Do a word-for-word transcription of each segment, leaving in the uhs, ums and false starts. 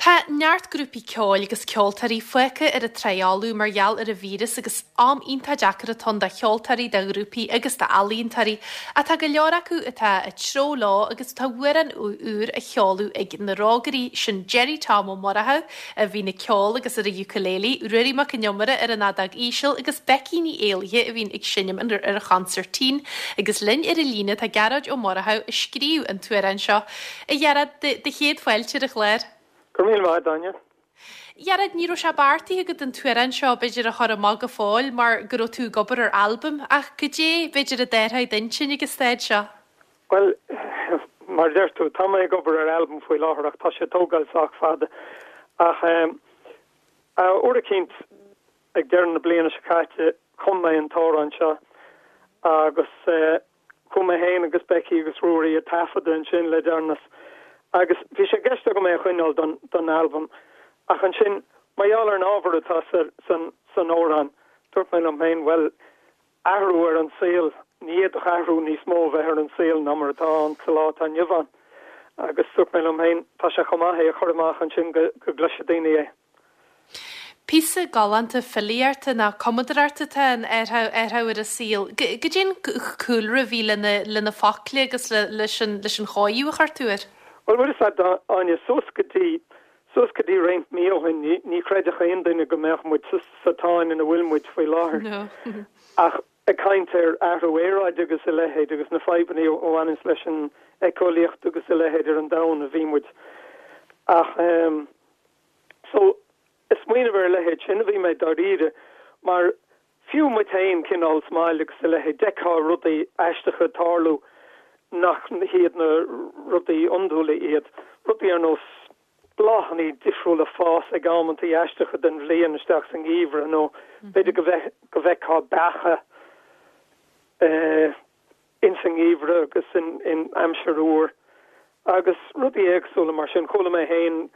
Tá neart grúpaí ceoil agus ceoltóirí fágtha ar an trá fholamh mar gheall ar an víreas agus am iontach deacair atá ann do cheoltóirí, do ghrúpaí agus d'ealaíontóirí. Ach tá go leor acu atá ag treabhadh leo agus tá amhrán úr á sheoladh ag na Rógairí, sin Gerry Tom Ó Murchú a bhíonn ag ceol agus ar an ukulele, Ruairí Mac Con Iomaire ar an fheadóg íseal agus Becky Ní Éallaithe a bhíonn ag seinm ar an chonsairtín. Agus linn ar an líne tá Gearóid Ó Murchú a scríobh an t-amhrán seo. A Ghearóid, do chéad fáilte ar an chlár. Go raibh míle maith agat, Áine. Ghearóid, ní raibh sé beartaithe agat an t-amhrán seo b'fhéidir a chur amach go fóill mar go raibh tú ag obair ar albam, ach goidé b'fhéidir a d'athraigh d'intinn ag an staid seo? Bhuel, mar a deir tú, tá mé ag obair ar albam faoi láthair ach tá sé ag tógáil sách fada. Ach uair eicínt ag deireadh na bliana seo caite chum mé an t-amhrán seo agus chuaigh mé féin agus Becky agus Ruairí ag taifeadadh ansin le deireanas agus bhí sé i gceist agam é a choinneáil don don albam ach ansin mar gheall ar an ábhar atá sa san san amhrán dúirt mé liom féin bhuel athrú ar an saol ní fhéadfadh athrú níos mó bheith ar an saol ná mar atá ann sa lá atá inniu ann agus dúirt mé liom féin tá sé chomh maith é a chur amach ansin go go gcloisfidh daoine é. Píosa galánta filíochta nó cumadóireachta atá in athrú ar an saol. Goidé an cúlra a bhí lena lena focla agus leis an leis an chóiriú a chuir tú air? Bhuel bhfuil a fhios agat Áine suas go dtí suas go dtí roinnt mí ó shin ní ní chreidfeadh aon duine go mbeadh muid sa tsáinn ina bhfuil muid faoi láthair. Ach ag caint ar athrú aeráide agus a leithéid agus na fadhbanna a bhaineanns leis an éiceolaíocht agus a leithéid ar an domhan a bhí muid. Ach um, so ag smaoineamh ar a leithéid sin a bhí mé dáiríre mar fiú muid féin cineál sa mbaile agus a leithéid d'fheicfeá rudaí aisteacha ag tarlú nach hiad na rudaí iondúla iad, rudaí ar nós bláthanna difriúla ag fás ag amantaí aisteacha den bhliain isteach sa ngeimhreadh nó b'fhéidir go go bhfeicfeá beacha eh, ins an ngeimhreadh agus in, in aimsir fhuar agus rudaí éagsúla mar sin chuala mé féin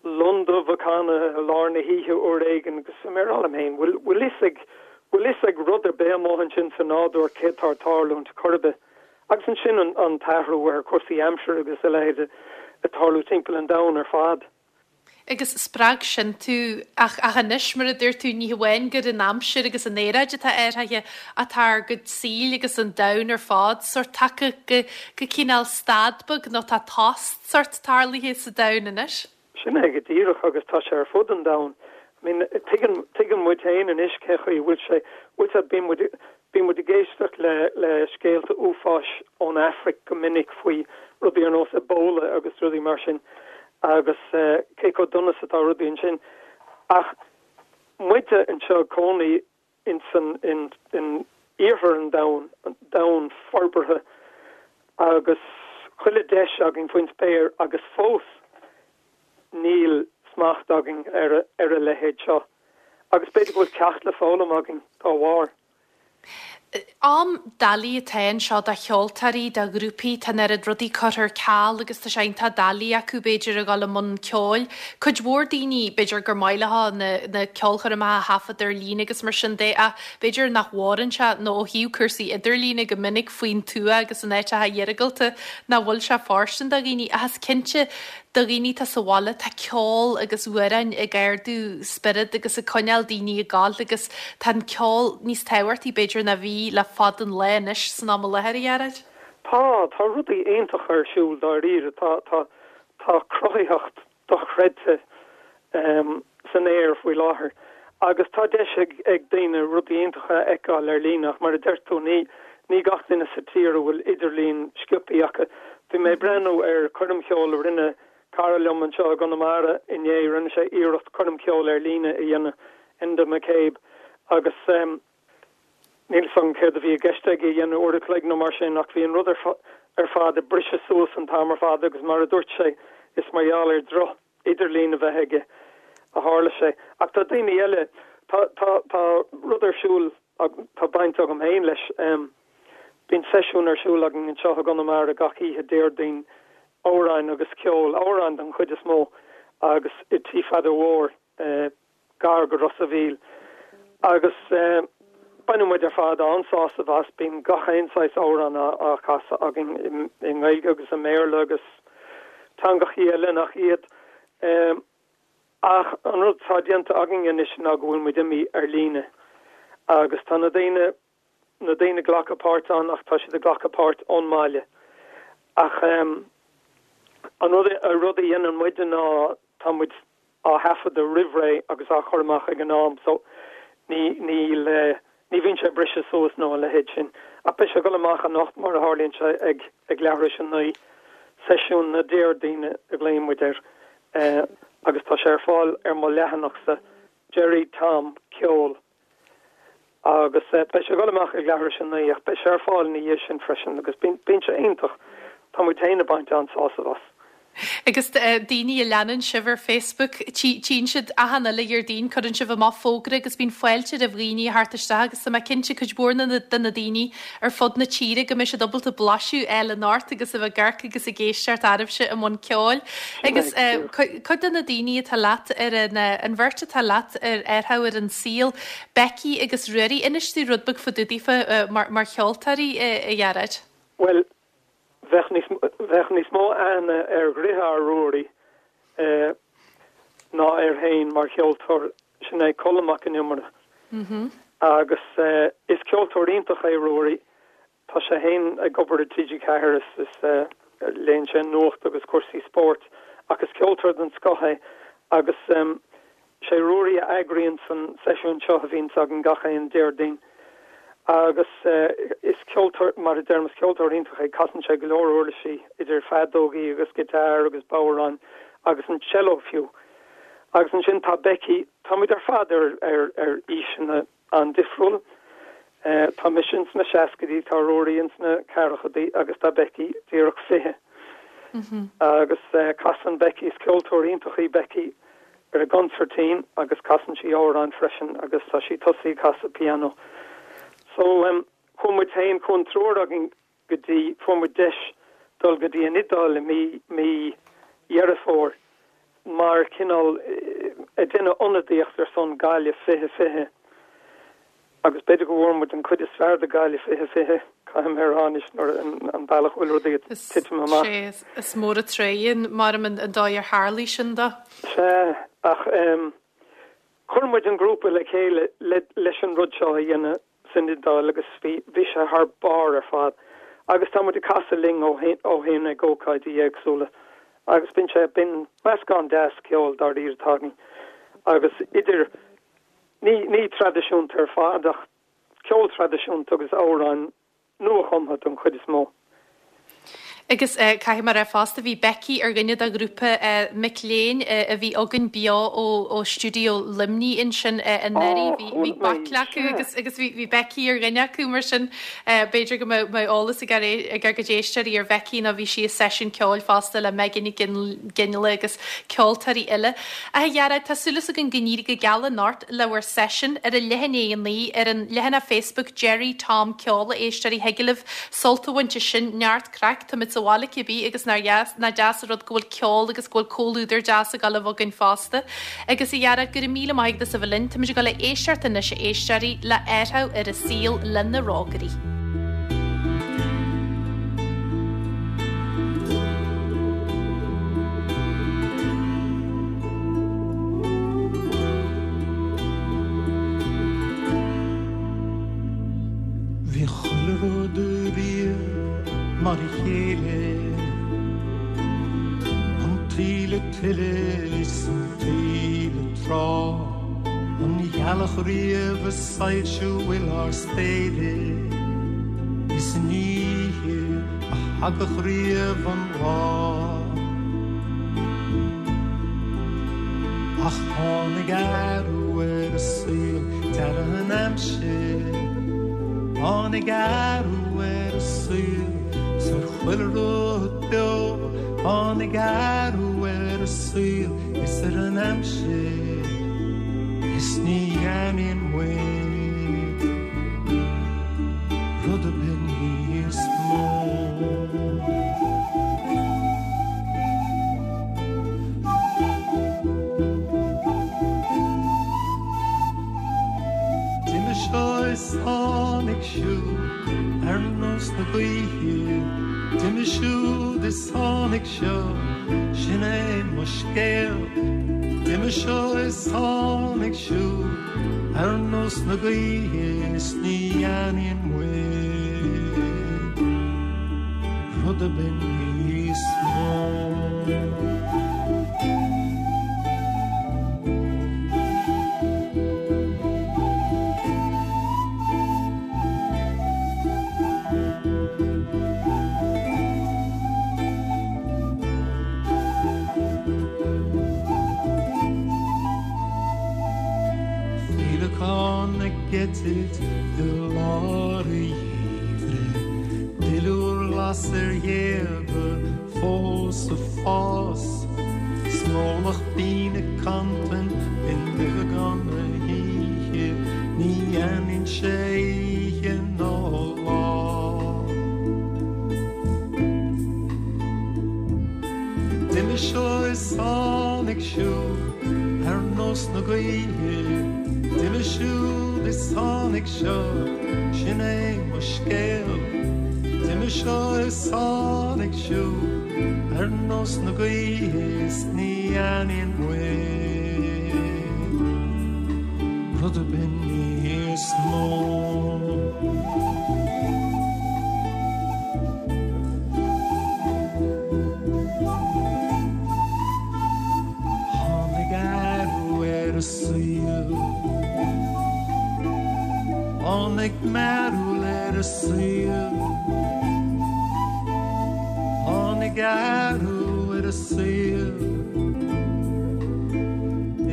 lon dubh ag canadh i lár na hoíche uair éigin agus mé ag rá liom féin bhfuil bhfuil fhios ag bhfuil fhios ag rud ar bith amuigh ansin sa nádúr céard atá ag tarlúint chor ar bith. Agus ansin an, an t-athrú ar chúrsaí aimsire agus a leithéid ag tarlú timpeall an domhain ar fad. Agus spreag sin tú ach ach anois mar a dúirt tú ní hamháin gur an aimsir agus an aeráid atá athraithe atá ár gcuid saoil agus an domhan ar fad sórt tagtha go go cineál stad beag nó tá tost sórt tarlaithe sa domhan anois. Sin é go díreach agus tá sé ar fud an domhain. I mean, tuigeann tuigeann muid féin anois cé chaoi bhfuil sé bhfuil sé bíonn muid bíonn muid ag éisteacht le le scéalta uafáis ón Afraic go minic faoi rudaí ar nós Ebola agus rudaí mar sin agus uh, cé chomh dona is atá rudaí ansin. Ach muide anseo cónaí in san in in iarthar an domhain an domhan forbartha agus chuile deis againn faoin spéir agus fós níl smacht againn ar ar a leithéid seo. Agus b'fhéidir go bhfuil ceacht le foghlaim againn dá bharr. Am doiligh atá anseo do cheoltóirí, do ghrúpaí, tá an oiread rudaí curtha ar ceal agus tá sé iontach doiligh acu b'fhéidir a dhul i mbun ceoil. Cuid mhór daoine b'fhéidir gur maith leo na, na ceolchoirmeacha a thaifead ar líne agus mar sin de ach b'fhéidir nach bhfóireann sé nó ó thaobh cúrsaí idirlíne go minic faoin tuath agus in áiteacha iargúlta nach bhfuil sé fóirsteanach do dhaoine ach is cinnte do dhaoine atá sa bhaile tá ceol agus amhráin ag ardú spiorad agus ag coinneáil daoine ag gabháil agus tá an ceol níos tábhachtaí b'fhéidir ná bhí le fada an lá anois san am i láthair a Ghearóid. Tá tá rudaí iontacha ar siúl dáiríre tá tá tá cruthaitheacht dochreidte um, san aer faoi láthair. Agus tá deis ag, ag daoine rudaí iontacha a fheiceáil ar líne ach mar a deir tú ní ní gach duine sa tír a bhfuil idirlíon sciobtha acu. Bhí mé ag breathnú ar choirm cheoil a rinne cara liom anseo i gConamara inné rinne sé iarracht coirm cheoil ar líne a dhéanamh Enda McCabe agus um, níl a fhios agam céard a bhí i gceist aige a dhéanamh uair a chloig nó mar sin ach bhí an rud ar, ar fad ag briseadh suas an t-am ar fad agus mar a dúirt sé is mar gheall ar droch idirlíon a bheith aige a tharla sé. Ach tá daoine eile tá tá tá rud ar siúl tá baint agam féin leis um, Bíonn seisiún ar siúl againn anseo i gConamara gach oíche Déardaoin amhráin agus ceol amhráin den chuid is mó agus i Tí Pheadair Mhóir eh, gar go Ros a' Mhíl. Agus eh, baineann muid ar fad an-sásamh as bíonn gach aon saghas amhrán á, á chasadh againn i, i nGaeilge agus i mBéarla agus teangacha eile nach iad. Um, Ach an rud atá déanta againn anois ná go bhfuil muid imithe ar líne. Agus tá na daoine na daoine ag glacadh páirt ann ach tá siad ag glacadh páirt ón mbaile. Ach um, an rud a rud a dhéanann muid ná tá muid á thaifeadadh roimh ré agus á chur amach ag an am so ní níl eh, ní bhíonn sé briseadh suas nó a leithéid sin. Ach beidh sé ag dul amach anocht mar a tharlaíonn sé ag ag leathuair tar éis a naoi seisiún na Déardaoine a ghlaonn muid air eh, agus tá sé ar fáil ar mo leathanachsa Gerry Tom Ceol. Agus eh, beidh sé ag dul amach ag leathuair tar éis a naoi ach beidh sé ar fáil ina dhiaidh sin freisin agus bíonn sé iontach Tá muid féin ag baint an-sásamh as. Agus eh, daoine a leanann sibh ar Facebook tchíonn siad achan uile Dhéardaoin cuireann sibh amach fógra agus bíonn fáilte roimh dhaoine a theacht isteach agus tá mé cinnte cuid mhór de na daoine ar fud na tíre go mbeidh siad ábalta blaiseadh a fháil anocht agus a bheith ag amharc agus ag éisteacht oraibhse i mbun ceoil. Agus eh, cuid de na daoine atá leat ar an, eh, an bheirt atá leat ar Athrú ar an Saol, Becky agus Ruairí inis dúinn rud beag fá dtaobh daofa eh, mar, mar cheoltóirí a Ghearóid. Well, bheadh níos bheadh níos mó aithne ar dheartháir Ruairí eh, ná air féin mar cheoltóir sin é Colm Mac Con Iomaire. Mm -hmm. Agus eh, is ceoltóir iontach é Ruairí Tá sé féin ag obair i TG Ceathair is is eh, léann sé nuacht agus cúrsaí spóirt agus ceoltóir den scoth é agus um, sé Ruairí a eagraíonn an seisiún seo a bhíonn againn gach aon Déardaoin. Agus uh, is ceoltóir mar a deirim is ceoltóir iontach é casann sé go leor uirlisí idir feadógaí agus giotár agus bodhrán agus an cello fiú. Agus ansin tá Becky tá muid ar fad ar ar ar aoiseanna an-difriúil. Uh, tá mise sna seascaidí tá Ruairí sna ceathrachaidí agus tá Becky díreach fiche. Mm -hmm. Agus uh, casann Becky is ceoltóir iontach í Becky ar an gconsairtín agus casann sí amhráin freisin agus tá sí tosaithe ag casadh pianó. So um, chuaigh muid féin chuaigh an triúr againn go dtí fuair muid deis dul go dtí an Iodáil mí mí Dheireadh Fómhair mar cineál ag déanamh ionadaíocht ar son Gaillimh fiche fiche. Agus b'fhéidir go bhfuair muid an chuid is fearr de Gaillimh fiche fiche caithfidh mé a rá anois nuair an bealach bhfuil rudaí ag titim amach. Sé is mór an tréan mar an an dóigh ar tharla sin do. Sé ach um, chuir muid an grúpa le chéile le, leis an rud seo a dhéanamh san Iodáil agus bhí bhí sé thar barr ar fad. Agus tá muid ag casadh linn ó ó shin ag ócáidí éagsúla. Agus bíonn sé bíonn meascán deas ceoil dáiríre atá againn. Agus idir ní ní traidisiúnta ar fad ach ceol traidisiúnta agus amhráin nuachumtha don chuid is mó. Agus uh, caithfidh mé a rá fosta bhí Becky ar dhuine de ghrúpa uh, mic léinn uh, a bhí againn beo ó ó stiúideo Luimnigh ansin uh, anuraidh bhí bhí baicle acu agus agus bhí bhí Becky ar dhuine acu mar sin uh, b'fhéidir go mbeadh eolas ag ag ag go éisteoirí ar Becky nó bhí sí i seisiún ceoil fosta le Megan Ginle agus ceoltóirí eile. A Ghearóid tá súil againn go n-éirí go geal anocht le bhur seisiún ar a leath i ndiaidh a naoi ar an leathanach Facebook Gerry Tom Ceol a éisteoirí thig libh sult a bhaint as sin neart craic tá sa bhaile cibé agus nach deas nach deas an rud go bhfuil ceol agus go bhfuil comhluadar deas ag dul a bheith againn fosta. Agus a Ghearóid go raibh míle maith agat as a bheith linn tá muid ag dul a éisteacht anois a éisteoirí le Athrú ar an Saol le Na Rógairí. Bhí chuile rud riamh mar a chéile An taoille tuile is an taoille trá An ghealach riamh ag soilsiú ár spéire Is an oíche a thagadh riamh an lá Ach tháinig athrú ar an saol deireadh an aimsir Tháinig athrú ar an saol 's ar chuile rud beo Tháinig athrú ar an saol is ar an aimsir Is ní aithníonn muid rud ar bith níos mó. D'imigh seo is tháinig siúd ar nós na gaoithe D'imigh siúd is tháinig seo sin é mo scéal D'imigh D'imigh seo is tháinig siúd ar nós na gaoithe is ní aithníonn muid rud ar bith níos mó. Féileacán ag eitilt i lár an gheimhridh, Duilliúr glas ar ghéaga fós ag fás, Snómach binn ag cantain i nduibheagán na hoíche, Ní aithníonn sé oíche ná lá. D'imigh seo is tháinig siúd ar nós na gaoithe, D'imigh siúd is tháinig seo, sin é mo scéal. D'imigh seo is tháinig siúd ar nós na gaoithe is ní aithníonn muid rud ar bith níos mó. Tháinig athrú ar an saol, Tháinig mearbhall ar an saol, Tháinig athrú ar an saol,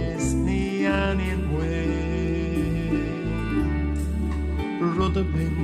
is ní aithníonn muid rud ar bith